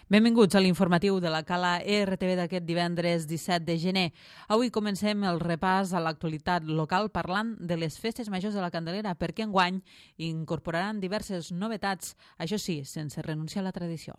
Benvinguts a l'informatiu de la Cala RTV d'aquest divendres 17 de gener. Avui comencem el repàs a l'actualitat local parlant de les festes majors de la Candelera, perquè enguany incorporaran diverses novetats, això sí, sense renunciar a la tradició.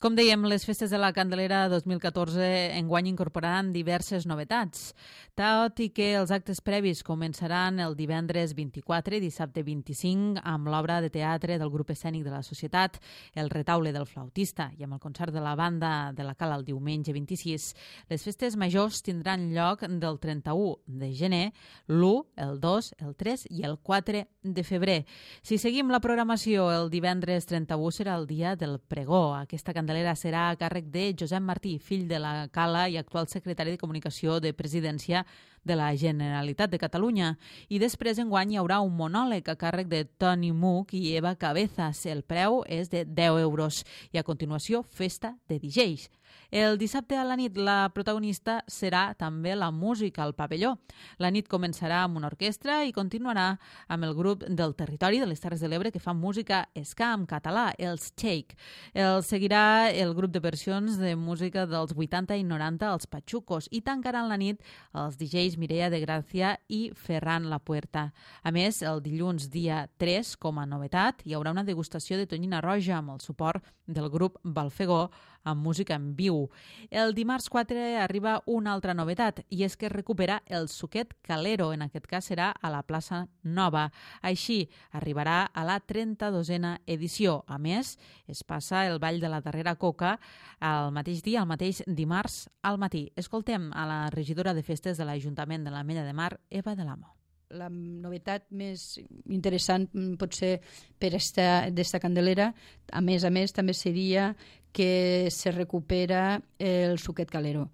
Com dèiem, les festes de la Candelera 2014 enguany incorporaran diverses novetats. Tot i que els actes previs començaran el divendres 24 i dissabte 25 amb l'obra de teatre del grup escènic de la Societat, el retaule del flautista i amb el concert de la banda de la Cala el diumenge 26, les festes majors tindran lloc del 31 de gener, l'1, el 2, el 3 i el 4 de febrer. Si seguim la programació, el divendres 31 serà el dia del pregó. Aquesta Candelera serà a càrrec de Josep Martí, fill de la Cala i actual secretari de Comunicació de Presidència de la Generalitat de Catalunya. I després enguany hi haurà un monòleg a càrrec de Toni Muc i Eva Cabezas. El preu és de 10 euros. I a continuació, festa de DJs. El dissabte a la nit la protagonista serà també la música al pavelló. La nit començarà amb una orquestra i continuarà amb el grup del territori de les Terres de l'Ebre que fa música ska en català, els Shake. El seguirà el grup de versions de música dels 80 i 90, els Pachucos, i tancaran la nit els DJs Mireia de Gràcia i Ferran Lapuerta. A més, el dilluns dia 3, com a novetat, hi haurà una degustació de tonyina roja amb el suport del grup Balfegó amb música en viu. El dimarts 4 arriba una altra novetat i és que es recupera el Suquet Calero, en aquest cas serà a la plaça Nova. Així arribarà a la 32a edició. A més, es passa el Ball de la Darrera Coca el mateix dia, el mateix dimarts al matí. Escoltem a la regidora de festes de l'Ajuntament de l'Ametlla de Mar, Eva de l'Amo. La novetat més interessant potser per d'esta Candelera, a més, també seria que se recupera el Suquet Calero.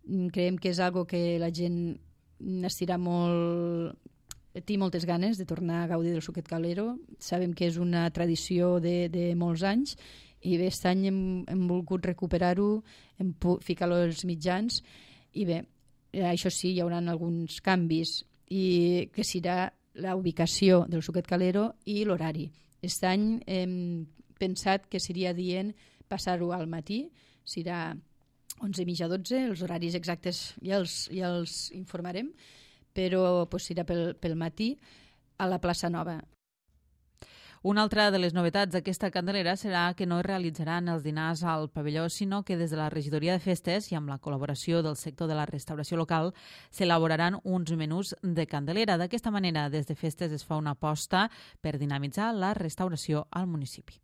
Creiem que és algo que la gent estirà molt, té moltes ganes de tornar a gaudir del Suquet Calero. Sabem que és una tradició de molts anys i bé, aquest any hem volgut recuperar-ho, hem ficat-lo als mitjans i bé, això sí, hi haurà alguns canvis i que serà la ubicació del Suquet Calero i l'horari. Aquest any hem pensat que seria dient passar-ho al matí, serà 11:30 a 12, els horaris exactes ja els informarem, però serà pel matí a la plaça Nova. Una altra de les novetats d'aquesta Candelera serà que no es realitzaran els dinars al pavelló, sinó que des de la regidoria de festes i amb la col·laboració del sector de la restauració local s'elaboraran uns menús de Candelera. D'aquesta manera, des de festes es fa una aposta per dinamitzar la restauració al municipi.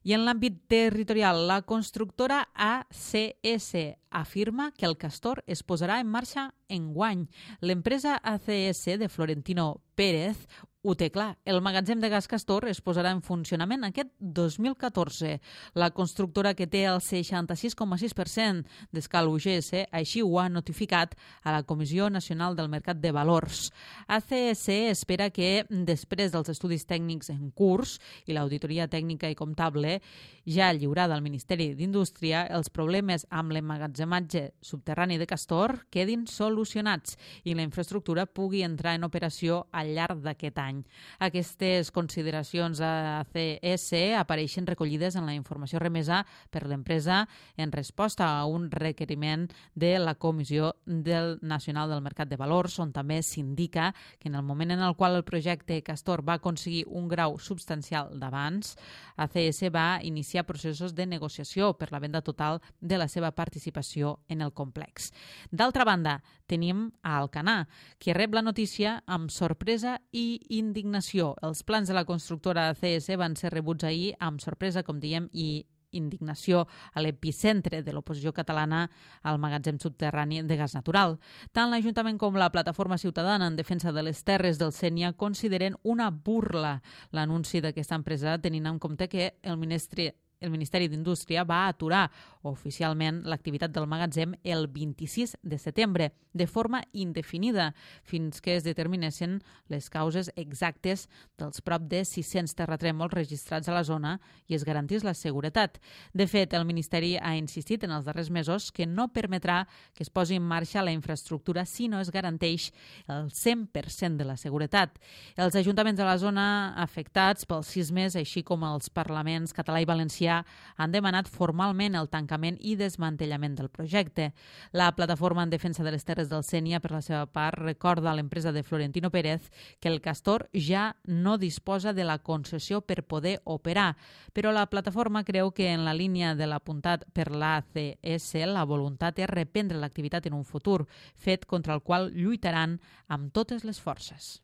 I en l'àmbit territorial, la constructora ACS afirma que el Castor es posarà en marxa enguany. L'empresa ACS de Florentino Pérez ho té clar. El magatzem de gas Castor es posarà en funcionament aquest 2014. La constructora, que té el 66,6% d'escala UGS, així ho ha notificat a la Comissió Nacional del Mercat de Valors. ACS espera que, després dels estudis tècnics en curs i l'auditoria tècnica i comptable ja lliurada al Ministeri d'Indústria, els problemes amb l'emmagatzematge subterrani de Castor quedin solucionats i la infraestructura pugui entrar en operació al llarg d'aquest any. Aquestes consideracions a ACS apareixen recollides en la informació remesa per l'empresa en resposta a un requeriment de la Comissió Nacional del Mercat de Valors, on també s'indica que en el moment en el qual el projecte Castor va aconseguir un grau substancial d'avanç, ACS va iniciar processos de negociació per la venda total de la seva participació en el complex. D'altra banda, tenim a Alcanar, que rep la notícia amb sorpresa i indignació. Els plans de la constructora ACS van ser rebuts ahir amb sorpresa, com diem, i indignació a l'epicentre de l'oposició catalana al magatzem subterrani de gas natural. Tant l'Ajuntament com la Plataforma Ciutadana en Defensa de les Terres del Sénia consideren una burla l'anunci d'aquesta empresa, tenint en compte que el ministre el Ministeri d'Indústria va aturar oficialment l'activitat del magatzem el 26 de setembre, de forma indefinida, fins que es determinessin les causes exactes dels prop de 600 terratrèmols registrats a la zona i es garantís la seguretat. De fet, el Ministeri ha insistit en els darrers mesos que no permetrà que es posi en marxa la infraestructura si no es garanteix el 100% de la seguretat. Els ajuntaments de la zona afectats pels sismes, així com els parlaments català i valencià, han demanat formalment el tancament i desmantellament del projecte. La Plataforma en Defensa de les Terres del Sénia, per la seva part, recorda a l'empresa de Florentino Pérez que el castor ja no disposa de la concessió per poder operar, però la plataforma creu que en la línia de l'apuntat per l'ACS la voluntat és reprendre l'activitat en un futur, fet contra el qual lluitaran amb totes les forces.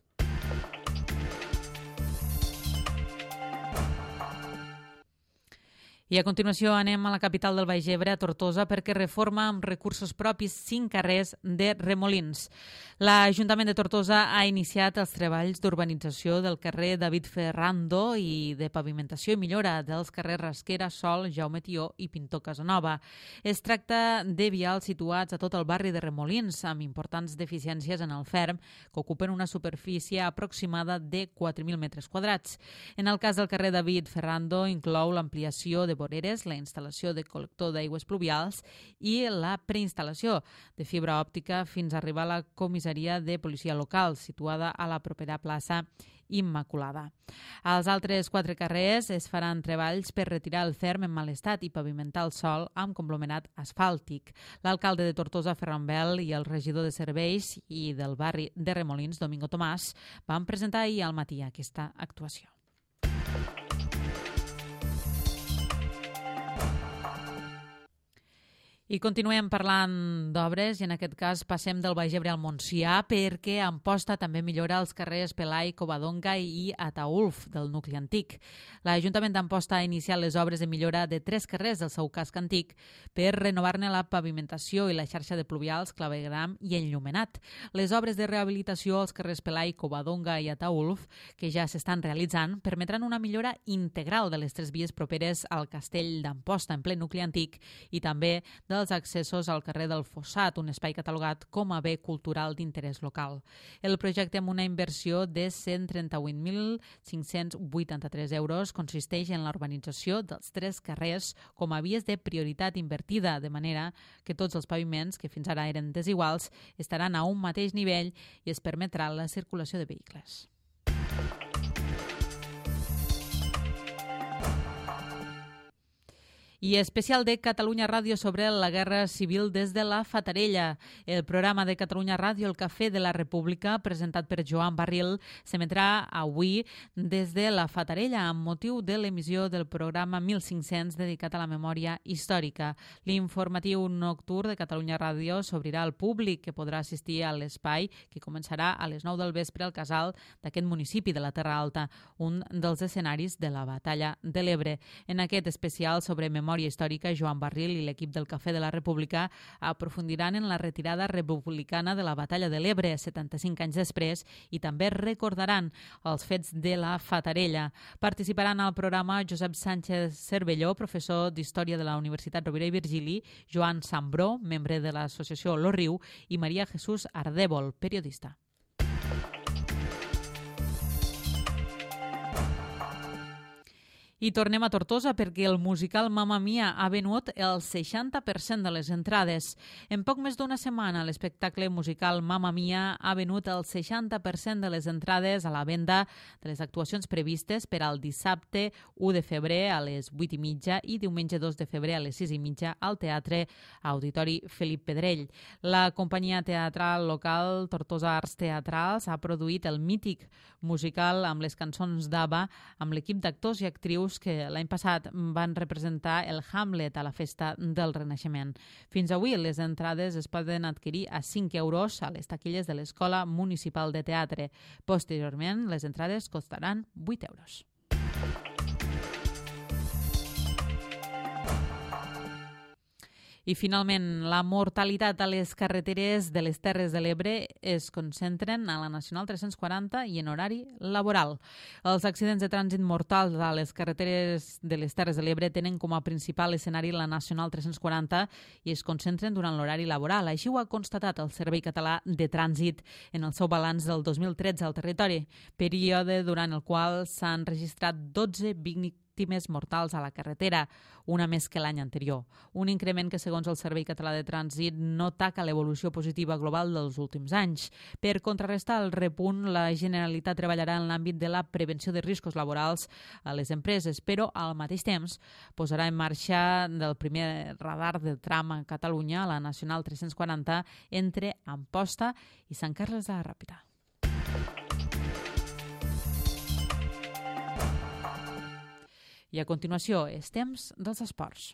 I a continuació anem a la capital del Baix Ebre, a Tortosa, perquè reforma amb recursos propis 5 carrers de Remolins. L'Ajuntament de Tortosa ha iniciat els treballs d'urbanització del carrer David Ferrando i de pavimentació i millora dels carrers Rasquera, Sol, Jaume Tió i Pintor Casanova. Es tracta de vials situats a tot el barri de Remolins, amb importants deficiències en el ferm, que ocupen una superfície aproximada de 4.000 metres quadrats. En el cas del carrer David Ferrando, inclou l'ampliació de voreres, la instal·lació de col·lector d'aigües pluvials i la preinstal·lació de fibra òptica fins a arribar a la comissaria de policia local, situada a la propera plaça Immaculada. Als altres 4 carrers es faran treballs per retirar el ferm en mal estat i pavimentar el sòl amb conglomerat asfàltic. L'alcalde de Tortosa, Ferran Bel, i el regidor de Serveis i del barri de Remolins, Domingo Tomàs, van presentar ahir al matí aquesta actuació. I continuem parlant d'obres i en aquest cas passem del Baix Ebre al Montsià perquè Amposta també millora els carrers Pelai, Covadonga i Ataülf del nucli antic. L'Ajuntament d'Amposta ha iniciat les obres de millora de 3 carrers del seu casc antic per renovar-ne la pavimentació i la xarxa de pluvials, clavegram i enllumenat. Les obres de rehabilitació als carrers Pelai, Covadonga i Ataülf, que ja s'estan realitzant, permetran una millora integral de les 3 vies properes al castell d'Amposta en ple nucli antic i també dels accessos al carrer del Fossat, un espai catalogat com a bé cultural d'interès local. El projecte, amb una inversió de 138.583 euros, consisteix en la urbanització dels 3 carrers com a vies de prioritat invertida, de manera que tots els paviments, que fins ara eren desiguals, estaran a un mateix nivell i es permetrà la circulació de vehicles. I especial de Catalunya Ràdio sobre la Guerra Civil des de la Fatarella. El programa de Catalunya Ràdio, El Cafè de la República, presentat per Joan Barril, s'emetrà avui des de la Fatarella amb motiu de l'emissió del programa 1500 dedicat a la memòria històrica. L'informatiu nocturn de Catalunya Ràdio s'obrirà al públic, que podrà assistir a l'espai que començarà a les 9 del vespre al casal d'aquest municipi de la Terra Alta, un dels escenaris de la Batalla de l'Ebre. En aquest especial sobre memòria històrica, Joan Barril i l'equip del Cafè de la República aprofundiran en la retirada republicana de la Batalla de l'Ebre 75 anys després i també recordaran els fets de la Fatarella. Participaran al programa Josep Sánchez Cervelló, professor d'Història de la Universitat Rovira i Virgili, Joan Sambró, membre de l'associació Lo Riu, i Maria Jesús Ardèvol, periodista. I tornem a Tortosa perquè el musical Mamma Mia ha venut el 60% de les entrades. En poc més d'una setmana, l'espectacle musical Mamma Mia ha venut el 60% de les entrades a la venda de les actuacions previstes per al dissabte 1 de febrer a les 8:30 i diumenge 2 de febrer a les 6:30 al Teatre Auditori Felip Pedrell. La companyia teatral local Tortosa Arts Teatrals ha produït el mític musical amb les cançons d'ABBA amb l'equip d'actors i actrius que l'any passat van representar el Hamlet a la Festa del Renaixement. Fins avui les entrades es poden adquirir a 5 euros a les taquilles de l'Escola Municipal de Teatre. Posteriorment, les entrades costaran 8 euros. I finalment, la mortalitat a les carreteres de les Terres de l'Ebre es concentren a la Nacional 340 i en horari laboral. Els accidents de trànsit mortals a les carreteres de les Terres de l'Ebre tenen com a principal escenari la Nacional 340 i es concentren durant l'horari laboral. Així ho ha constatat el Servei Català de Trànsit en el seu balanç del 2013 al territori, període durant el qual s'han registrat 12 víctimes mortals a la carretera, una més que l'any anterior. Un increment que, segons el Servei Català de Trànsit, no taca l'evolució positiva global dels últims anys. Per contrarrestar el repunt, la Generalitat treballarà en l'àmbit de la prevenció de riscos laborals a les empreses, però al mateix temps posarà en marxa el primer radar de tram a Catalunya, a la Nacional 340, entre Amposta i Sant Carles de la Ràpita. I a continuació, és temps dels esports.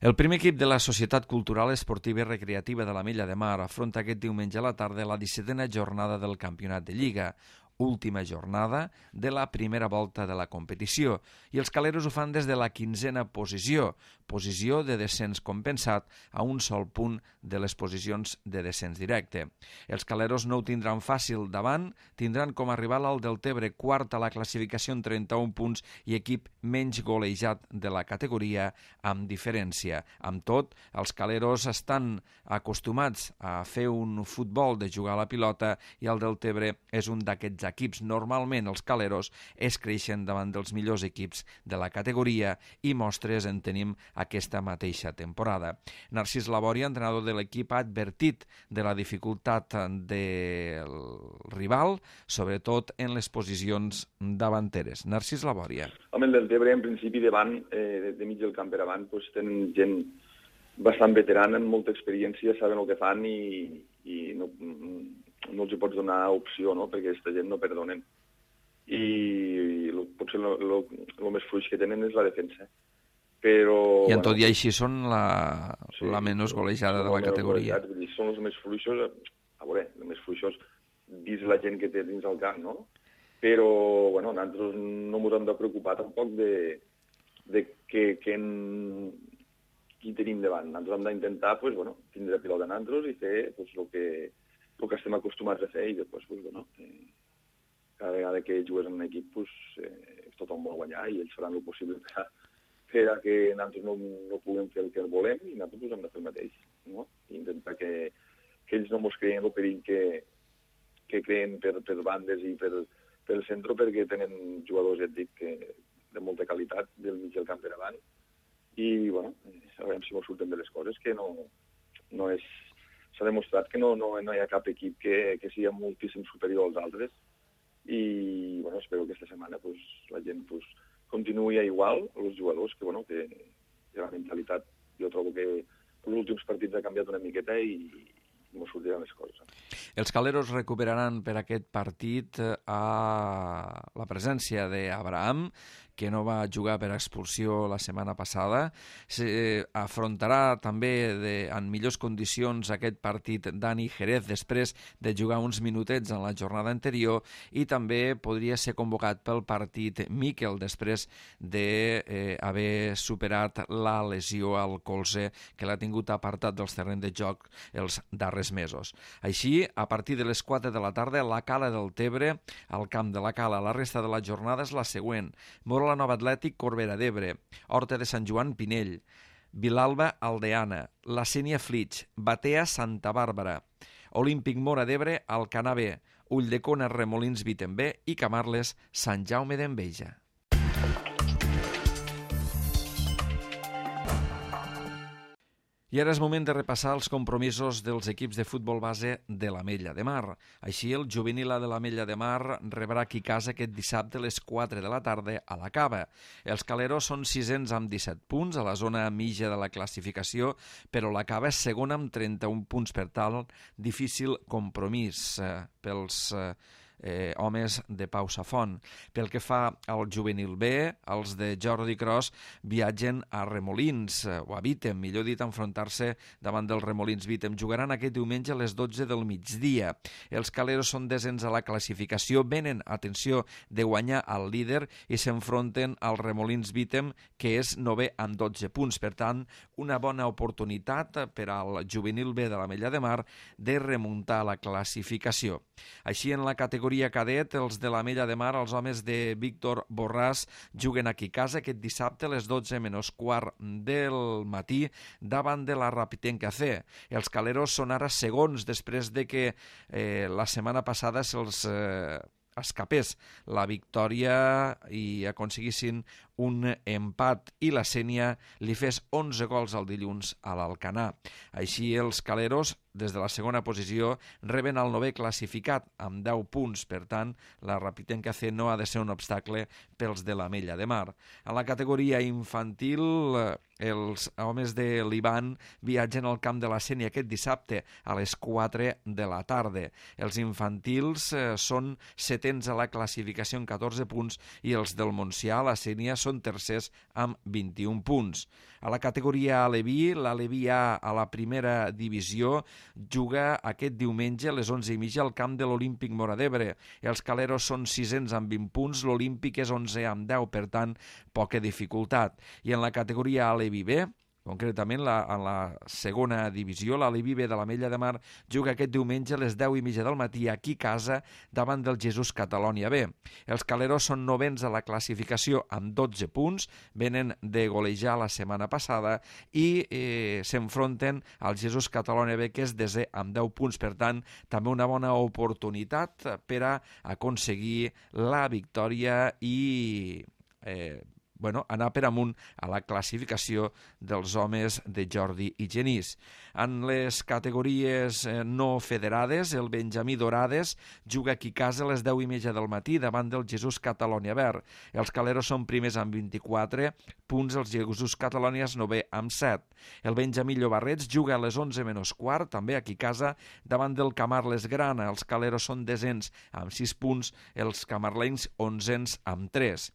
El primer equip de la Societat Cultural Esportiva i Recreativa de l'Ametlla de Mar afronta aquest diumenge a la tarda la 17a jornada del Campionat de Lliga, última jornada de la primera volta de la competició, i els caleros ho fan des de la 15a posició de descens compensat a un sol punt de les posicions de descens directe. Els caleros no ho tindran fàcil davant, tindran com a rival el Deltebre, quart a la classificació amb 31 punts i equip menys golejat de la categoria amb diferència. Amb tot, els caleros estan acostumats a fer un futbol de jugar a la pilota i el Deltebre és un d'aquests equips. Normalment els caleros es creixen davant dels millors equips de la categoria i mostres en tenim aquesta mateixa temporada. Narcís Labòria, entrenador de l'equip, ha advertit de la dificultat del rival, sobretot en les posicions davanteres. Narcís Labòria. Home, el Deltebre, en principi, davant, de mig del camp per avant, doncs, tenen gent bastant veterana, amb molta experiència, saben el que fan i no els hi pots donar opció, no?, perquè aquesta gent no perdonen. I potser el més fluix que tenen és la defensa. Però, i en tot i així són la menys golejada de la categoria. Són els més fluixos, a veure, els més fluixos vist la gent que té dins el camp, no? Però, bueno, nosaltres no ens hem de preocupar tampoc de qui tenim davant. Nosaltres hem d'intentar, pues, bueno, tindre pilota a nosaltres i fer pues, el que estem acostumats a fer i després, pues, bueno, cada vegada que jugues en un equip, pues, tothom vol guanyar i ells faran el possible per a que nosaltres no puguem fer el que volem i nosaltres hem de fer el mateix, no? I intentar que ells no ens creien el perill que creen per bandes i per el centre, perquè tenen jugadors, ja et dic, de molta qualitat del mig del camp per avant i, bueno, a veure si ens surten de les coses, que no és... S'ha demostrat que no hi ha cap equip que sigui moltíssim superior als altres i, bueno, espero que aquesta setmana pues, la gent pues, continuï igual, els jugadors, que, bueno, que la mentalitat, jo trobo que els últims partits ha canviat una miqueta i no sortiran les coses. Els caleros recuperaran per aquest partit a la presència d'Abraham, que no va jugar per expulsió la setmana passada. Afrontarà també en millors condicions aquest partit Dani Jerez després de jugar uns minutets en la jornada anterior i també podria ser convocat pel partit Miquel després d'haver superat la lesió al colze que l'ha tingut apartat dels terrenys de joc els darrers mesos. Així, a partir de les 4 de la tarda, la Cala del Tebre, al camp de la Cala. La resta de la jornada és la següent. Mora la Nova Atlètic, Corbera d'Ebre, Horta de Sant Joan, Pinell, Vilalba, Aldeana, La Sénia, Flix, Batea, Santa Bàrbara, Olímpic Móra d'Ebre, Alcanar B, Ulldecona, Remolins, Vitembé i Camarles, Sant Jaume d'Enveja. I ara és moment de repassar els compromisos dels equips de futbol base de l'Ametlla de Mar. Així, el juvenil de l'Ametlla de Mar rebrà aquí casa aquest dissabte a les 4 de la tarda a la Cava. Els caleros són 600 amb 17 punts a la zona mitja de la classificació, però la Cava és segona amb 31 punts. Per tant, difícil compromís pels homes de Pau Safont. Pel que fa al juvenil B, els de Jordi Cros viatgen a Remolins, o a Vítem, millor dit, a enfrontar-se davant del Remolins Vítem. Jugaran aquest diumenge a les 12 del migdia. Els caleros són desens a la classificació, venen, atenció, de guanyar al líder i s'enfronten al Remolins Vítem, que és 9è amb 12 punts. Per tant, una bona oportunitat per al juvenil B de l'Ametlla de Mar de remuntar la classificació. Així, en la categoria cadet, els de l'Ametlla de Mar, els homes de Víctor Borràs, juguen aquí a casa aquest dissabte a les 12 menys quart del matí davant de la Rapitenca C. Els caleros són ara segons després de que la setmana passada se'ls escapés la victòria i aconseguissin un empat i la Sénia li fes 11 gols al dilluns a l'Alcanar. Així, els caleros, des de la segona posició, reben el 9è classificat amb 10 punts. Per tant, la Rapitenca C no ha de ser un obstacle pels de l'Ametlla de Mar. A la categoria infantil, els homes de l'Ivan viatgen al camp de la Sénia aquest dissabte a les 4 de la tarda. Els infantils són setens a la classificació amb 14 punts i els del Montsià, la Sénia, són tercers amb 21 punts. A la categoria Aleví, l'Aleví A a la primera divisió juga aquest diumenge a les 11:30 al camp de l'Olímpic Móra d'Ebre. Els caleros són sisens amb 20 punts, l'Olímpic és 11è amb 10, per tant, poca dificultat. I en la categoria Aleví B, concretament en la segona divisió, l'Aleví B de l'Ametlla de Mar juga aquest diumenge a les 10:30 del matí aquí a casa davant del Jesús Catalònia B. Els caleros són novens a la classificació amb 12 punts, venen de golejar la setmana passada i s'enfronten al Jesús Catalònia B, que és desè amb 10 punts. Per tant, també una bona oportunitat per a aconseguir la victòria i anar per amunt a la classificació dels homes de Jordi i Genís. En les categories no federades, el Benjamí Dorades juga aquí a casa a les 10:30 del matí davant del Jesús Catalònia Verd. Els caleros són primers amb 24 punts, els Jesús Catalònies 9è amb 7. El Benjamí Llobarrets juga a les 11 menys quart, també aquí a casa, davant del Camarles Grana. Els caleros són desens amb 6 punts, els camarlencs 11ens amb 3.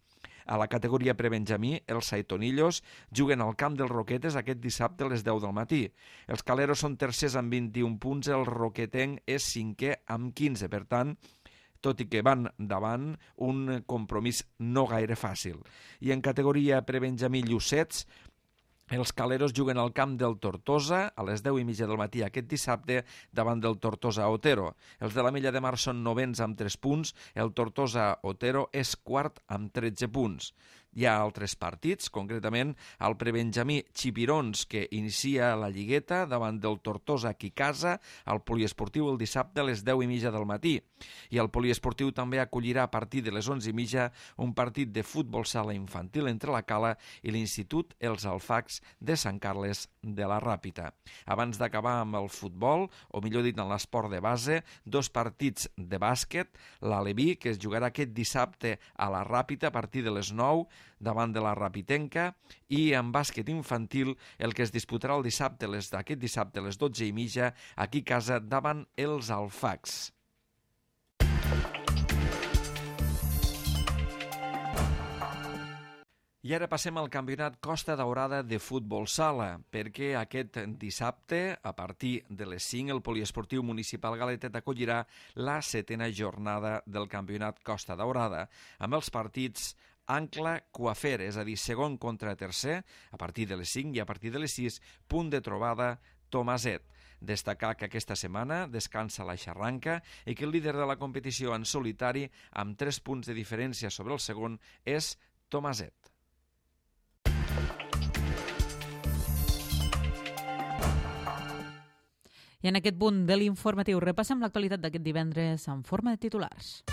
A la categoria prebenjamí, els Saitonillos juguen al camp dels Roquetes aquest dissabte a les 10 del matí. Els caleros són tercers amb 21 punts, el roquetenc és 5è amb 15. Per tant, tot i que van davant, un compromís no gaire fàcil. I en categoria prebenjamí Llucets, els caleros juguen al camp del Tortosa a les 10:30 del matí aquest dissabte davant del Tortosa Otero. Els de l'Ametlla de Mar són novens amb 3 punts, el Tortosa Otero és quart amb 13 punts. Hi ha altres partits, concretament el prebenjamí Xipirons, que inicia la lligueta davant del Tortosa aquí a casa, al poliesportiu el dissabte a les 10:30 del matí. I el poliesportiu també acollirà a partir de les 11:30 un partit de futbol sala infantil entre la Cala i l'Institut Els Alfacs de Sant Carles de la Ràpita. Abans d'acabar amb el futbol, o millor dit en l'esport de base, 2 partits de bàsquet, l'Aleví, que es jugarà aquest dissabte a la Ràpita a partir de les 9 davant de la Rapitenca, i en bàsquet infantil el que es disputarà aquest dissabte a les 12:30 aquí a casa davant els Alfacs. I ara passem al campionat Costa Daurada de futbol sala, perquè aquest dissabte, a partir de les 5, el poliesportiu municipal Galetet acollirà la 7a jornada del campionat Costa Daurada, amb els partits Ancla-Coafer, és a dir, segon contra tercer, a partir de les 5, i a partir de les 6, punt de trobada Tomaset. Destacar que aquesta setmana descansa la Xarranca i que el líder de la competició en solitari, amb 3 punts de diferència sobre el segon, és Tomaset. I en aquest punt de l'informatiu repassem l'actualitat d'aquest divendres en forma de titulars.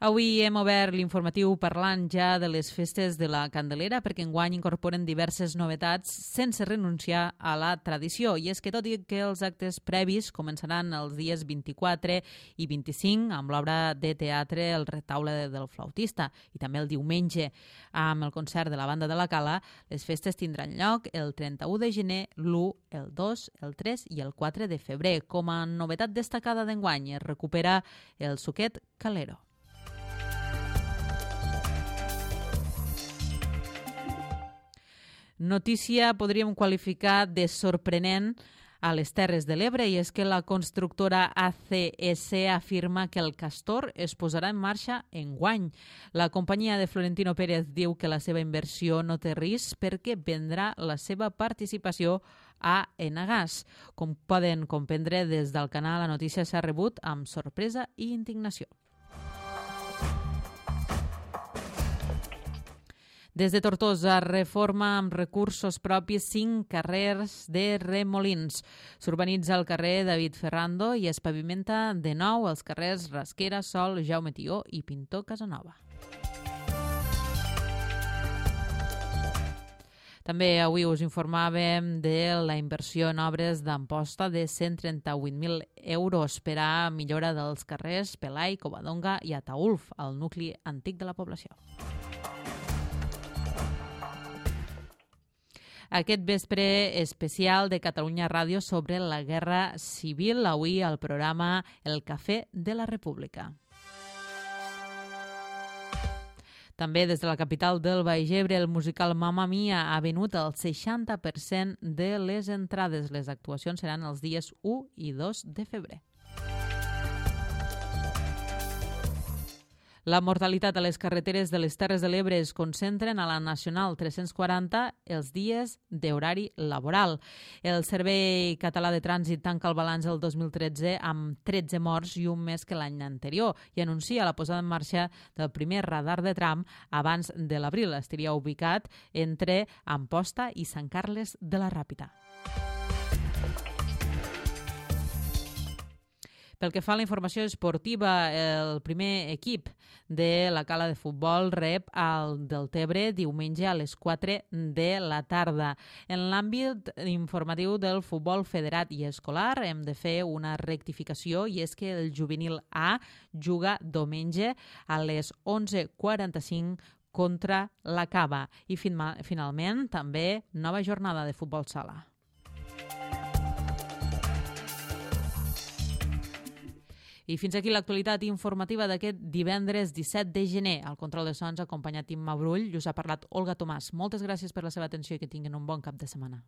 Avui hem obert l'informatiu parlant ja de les festes de la Candelera perquè enguany incorporen diverses novetats sense renunciar a la tradició. I és que tot i que els actes previs començaran els dies 24 i 25 amb l'obra de teatre El retaule del flautista i també el diumenge amb el concert de la banda de la Cala, les festes tindran lloc el 31 de gener, l'1, el 2, el 3 i el 4 de febrer. Com a novetat destacada d'enguany es recupera el suquet calero. Notícia podríem qualificar de sorprenent a les Terres de l'Ebre i és que la constructora ACS afirma que el Castor es posarà en marxa enguany. La companyia de Florentino Pérez diu que la seva inversió no té risc perquè vendrà la seva participació a Enagás. Com poden comprendre des del canal, la notícia s'ha rebut amb sorpresa i indignació. Des de Tortosa, reforma amb recursos propis 5 carrers de Remolins. S'urbanitza el carrer David Ferrando i es pavimenta de nou els carrers Rasquera, Sol, Jaume Tió i Pintor Casanova. També avui us informàvem de la inversió en obres d'Amposta de 138.000 euros per a millora dels carrers Pelai, Covadonga i Ataulf, al nucli antic de la població. Aquest vespre especial de Catalunya Ràdio sobre la Guerra Civil, avui al programa El Cafè de la República. També des de la capital del Baix Ebre, el musical Mamma Mia ha venut el 60% de les entrades. Les actuacions seran els dies 1 i 2 de febrer. La mortalitat a les carreteres de les Terres de l'Ebre es concentren a la Nacional 340 els dies d'horari laboral. El Servei Català de Trànsit tanca el balanç el 2013 amb 13 morts i un més que l'any anterior i anuncia la posada en marxa del primer radar de tram abans de l'abril. Estaria ubicat entre Amposta i Sant Carles de la Ràpita. Pel que fa a la informació esportiva, el primer equip de la Cala de Futbol rep al Deltebre diumenge a les 4 de la tarda. En l'àmbit informatiu del futbol federat i escolar hem de fer una rectificació i és que el juvenil A juga diumenge a les 11:45 contra la Cava. I finalment també nova jornada de futbol sala. I fins aquí l'actualitat informativa d'aquest divendres 17 de gener. Al control de sons ha acompanyat Imma Brull i us ha parlat Olga Tomàs. Moltes gràcies per la seva atenció i que tinguin un bon cap de setmana.